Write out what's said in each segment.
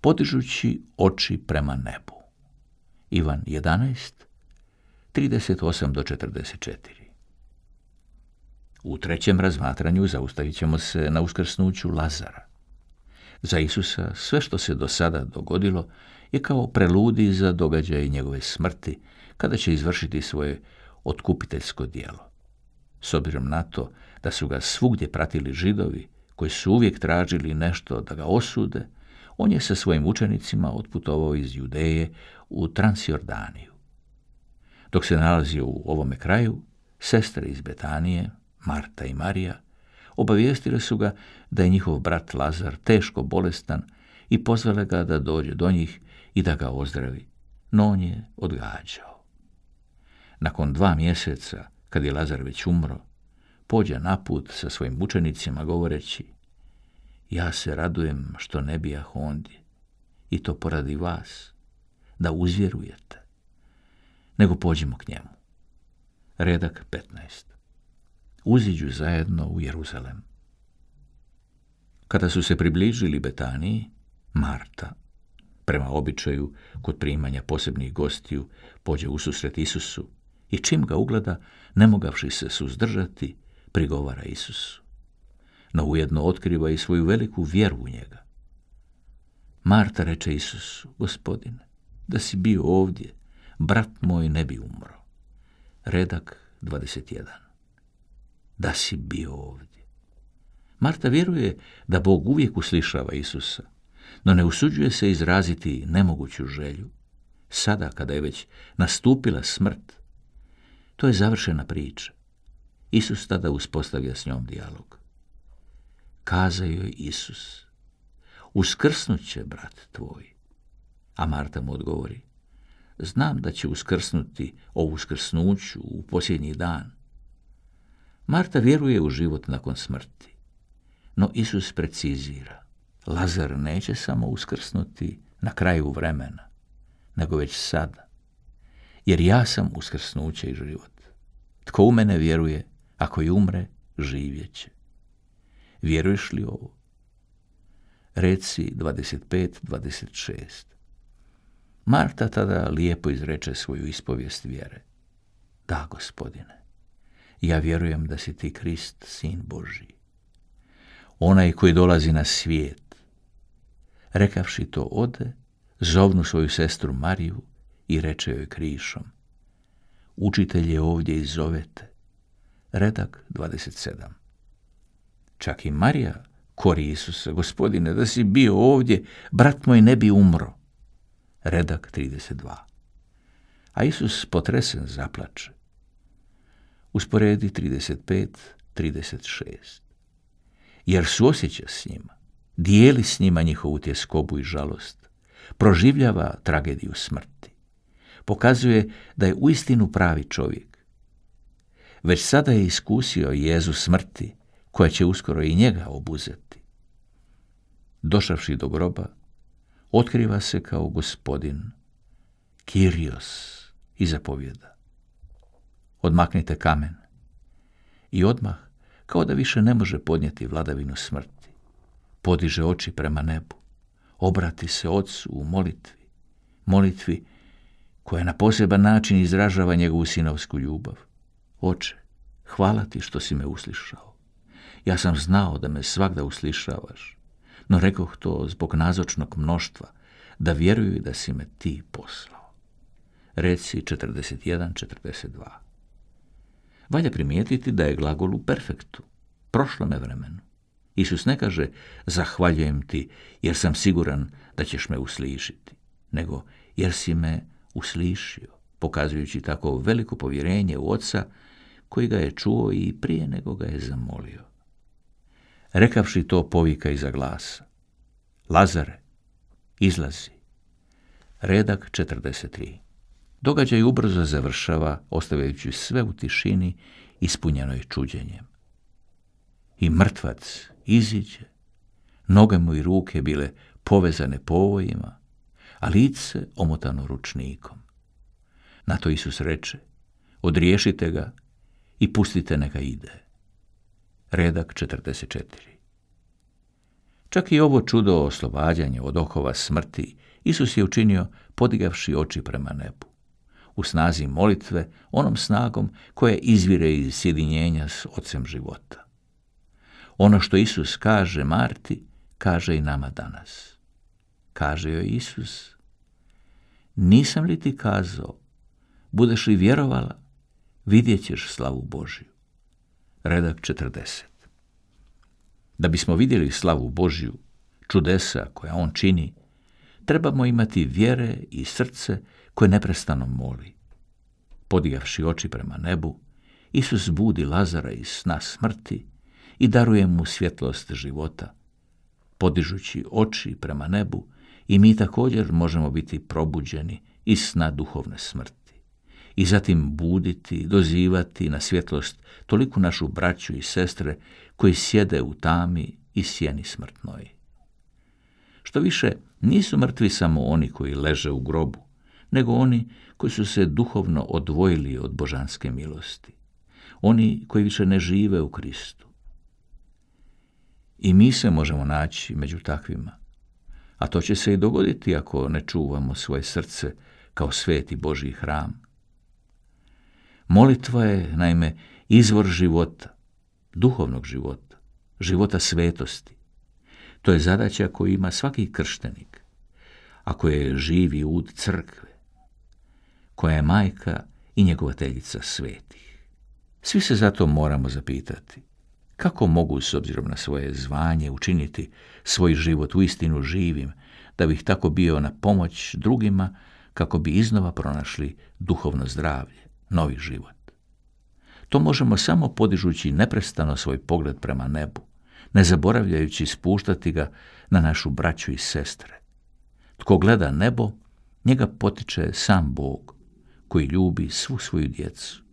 podižući oči prema nebu. Ivan 11, 38 do 44. U trećem razmatranju zaustavit ćemo se na uskrsnuću Lazara. Za Isusa sve što se do sada dogodilo je kao preludij za događaje njegove smrti, kada će izvršiti svoje otkupiteljsko djelo. S obzirom na to da su ga svugdje pratili Židovi, koji su uvijek tražili nešto da ga osude, on je sa svojim učenicima otputovao iz Judeje u Transjordaniju. Dok se nalazio u ovome kraju, sestre iz Betanije, Marta i Marija, obavijestile su ga da je njihov brat Lazar teško bolestan i pozvale ga da dođe do njih i da ga ozdravi, no on je odgađao. Nakon 2 mjeseca, kad je Lazar već umro, pođe na put sa svojim učenicima govoreći: ja se radujem što ne bijah ondje, i to poradi vas, da uzvjerujete, nego pođimo k njemu. Redak 15. Uziđu zajedno u Jeruzalem. Kada su se približili Betaniji, Marta, prema običaju kod primanja posebnih gostiju, pođe ususret Isusu i čim ga ugleda, ne mogavši se suzdržati, prigovara Isusu. No ujedno otkriva i svoju veliku vjeru u njega. Marta reče Isusu: Gospodine, da si bio ovdje, brat moj ne bi umro. Redak 21. Da si bio ovdje. Marta vjeruje da Bog uvijek uslišava Isusa, no ne usuđuje se izraziti nemoguću želju. Sada, kada je već nastupila smrt, to je završena priča. Isus tada uspostavlja s njom dijalog. Kaza joj Isus: uskrsnut će brat tvoj. A Marta mu odgovori: znam da će uskrsnuti o uskrsnuću u posljednji dan. Marta vjeruje u život nakon smrti, no Isus precizira: Lazar neće samo uskrsnuti na kraju vremena, nego već sada, jer ja sam uskrsnuće i život. Tko u mene vjeruje, ako i umre, živjet će. Vjeruješ li ovo? Reci 25-26. Marta tada lijepo izreče svoju ispovijest vjere. Da, Gospodine, ja vjerujem da si ti Krist, Sin Božji, onaj koji dolazi na svijet. Rekavši to ode, zovnu svoju sestru Mariju i reče joj krišom: učitelj je ovdje i zovete. Redak 27. Čak i Marija kori Isusa: Gospodine, da si bio ovdje, brat moj ne bi umro. Redak 32. A Isus potresen zaplače. Usporedi 35-36. Jer suosjeća s njima, dijeli s njima njihovu tjeskobu i žalost, proživljava tragediju smrti. Pokazuje da je uistinu pravi čovjek. Već sada je iskusio jezu smrti, koja će uskoro i njega obuzeti. Došavši do groba, otkriva se kao Gospodin, Kyrios, i zapovjeda: odmaknite kamen. I odmah, kao da više ne može podnijeti vladavinu smrti, podiže oči prema nebu, obrati se Otcu u molitvi koja na poseban način izražava njegovu sinovsku ljubav. Oče, hvala ti što si me uslišao. Ja sam znao da me svagda uslišavaš, no rekoh to zbog nazočnog mnoštva, da vjeruju da si me ti poslao. Reci 41-42. Valja primijetiti da je glagol u perfektu, prošlome vremenu. Isus ne kaže: zahvaljujem ti jer sam siguran da ćeš me uslišiti, nego jer si me uslišio, pokazujući tako veliko povjerenje u Oca koji ga je čuo i prije nego ga je zamolio. Rekavši to, povika iza glasa: Lazare, izlazi. Redak 43. Događaj ubrzo završava, ostavljajući sve u tišini ispunjenoj čuđenjem. I mrtvac iziđe, noge mu i ruke bile povezane povojima, a lice omotano ručnikom. Na to Isus reče: odriješite ga i pustite neka ide. Redak 44. Čak i ovo čudo oslobađanja od okova smrti Isus je učinio podigavši oči prema nebu. U snazi molitve, onom snagom koja izvire iz sjedinjenja s Ocem života. Ono što Isus kaže Marti, kaže i nama danas. Kaže joj Isus, nisam li ti kazao, budeš li vjerovala, vidjet ćeš slavu Božju. Redak 40. Da bismo vidjeli slavu Božju, čudesa koja on čini, trebamo imati vjere i srce koje neprestano moli. Podigavši oči prema nebu, Isus budi Lazara iz sna smrti i daruje mu svjetlost života. Podižući oči prema nebu, i mi također možemo biti probuđeni iz sna duhovne smrti i zatim buditi, dozivati na svjetlost toliku našu braću i sestre koji sjede u tami i sjeni smrtnoj. Što više, nisu mrtvi samo oni koji leže u grobu, nego oni koji su se duhovno odvojili od božanske milosti, oni koji više ne žive u Kristu. I mi se možemo naći među takvima, a to će se i dogoditi ako ne čuvamo svoje srce kao sveti Božji hram. Molitva je, naime, izvor života, duhovnog života, života svetosti. To je zadaća koju ima svaki krštenik, ako je živi ud crkve, koja je majka i njegovateljica svetih. Svi se zato moramo zapitati, kako mogu s obzirom na svoje zvanje učiniti svoj život uistinu živim, da bih tako bio na pomoć drugima, kako bi iznova pronašli duhovno zdravlje, novi život. To možemo samo podižući neprestano svoj pogled prema nebu, ne zaboravljajući spuštati ga na našu braću i sestre. Tko gleda nebo, njega potiče sam Bog, koji ljubi svu svoju djecu,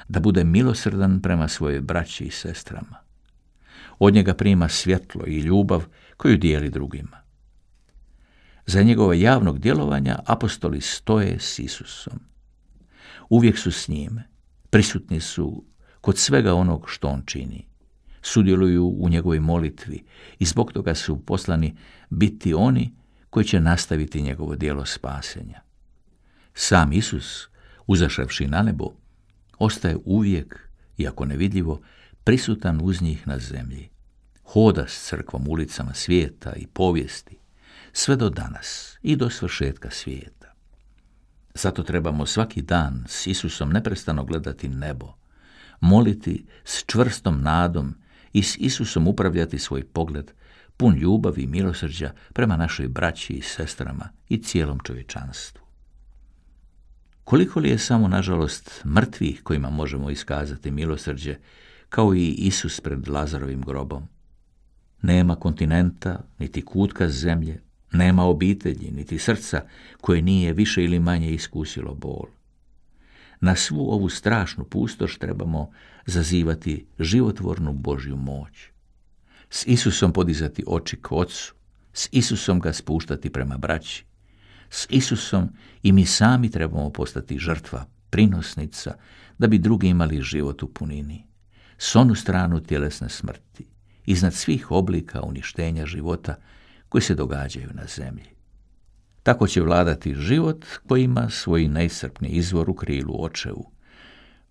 da bude milosrdan prema svoje braći i sestrama. Od njega prima svjetlo i ljubav koju dijeli drugima. Za njegova javnog djelovanja apostoli stoje s Isusom. Uvijek su s njime, prisutni su kod svega onog što on čini. Sudjeluju u njegovoj molitvi i zbog toga su poslani biti oni koji će nastaviti njegovo djelo spasenja. Sam Isus, uzašavši na nebo, ostaje uvijek, iako nevidljivo, prisutan uz njih na zemlji. Hoda s crkvom ulicama svijeta i povijesti, sve do danas i do svršetka svijeta. Zato trebamo svaki dan s Isusom neprestano gledati nebo, moliti s čvrstom nadom i s Isusom upravljati svoj pogled, pun ljubavi i milosrđa prema našoj braći i sestrama i cijelom čovječanstvu. Koliko li je samo, nažalost, mrtvih kojima možemo iskazati milosrđe, kao i Isus pred Lazarovim grobom? Nema kontinenta, niti kutka zemlje, nema obitelji, niti srca koje nije više ili manje iskusilo bol. Na svu ovu strašnu pustoš trebamo zazivati životvornu Božju moć. S Isusom podizati oči k Ocu, s Isusom ga spuštati prema braći. S Isusom i mi sami trebamo postati žrtva, prinosnica, da bi drugi imali život u punini. S onu stranu tjelesne smrti, iznad svih oblika uništenja života koji se događaju na zemlji. Tako će vladati život koji ima svoj neiscrpni izvor u krilu Očevu,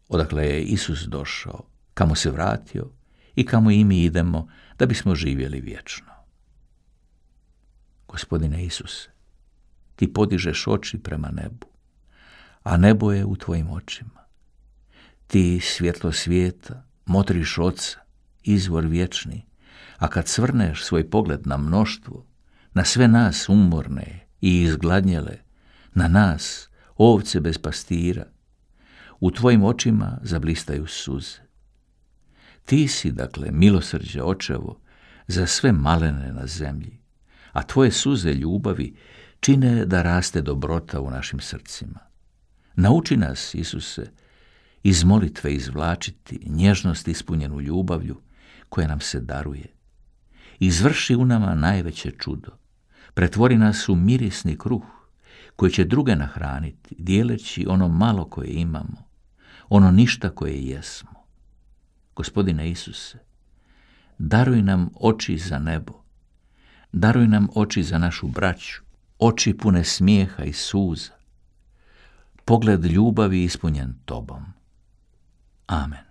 odakle je Isus došao, kamo se vratio i kamo i mi idemo da bismo živjeli vječno. Gospodine Isuse, ti podižeš oči prema nebu, a nebo je u tvojim očima. Ti, svjetlo svijeta, motriš Oca, izvor vječni, a kad svrneš svoj pogled na mnoštvo, na sve nas umorne i izgladnjele, na nas, ovce bez pastira, u tvojim očima zablistaju suze. Ti si, dakle, milosrđe Očevo za sve malene na zemlji, a tvoje suze ljubavi čine da raste dobrota u našim srcima. Nauči nas, Isuse, iz molitve izvlačiti nježnost ispunjenu ljubavlju koja nam se daruje. Izvrši u nama najveće čudo. Pretvori nas u mirisni kruh koji će druge nahraniti, dijeleći ono malo koje imamo, ono ništa koje jesmo. Gospodine Isuse, daruj nam oči za nebo Daruj nam oči za našu braću, oči pune smijeha i suza, pogled ljubavi ispunjen tobom. Amen.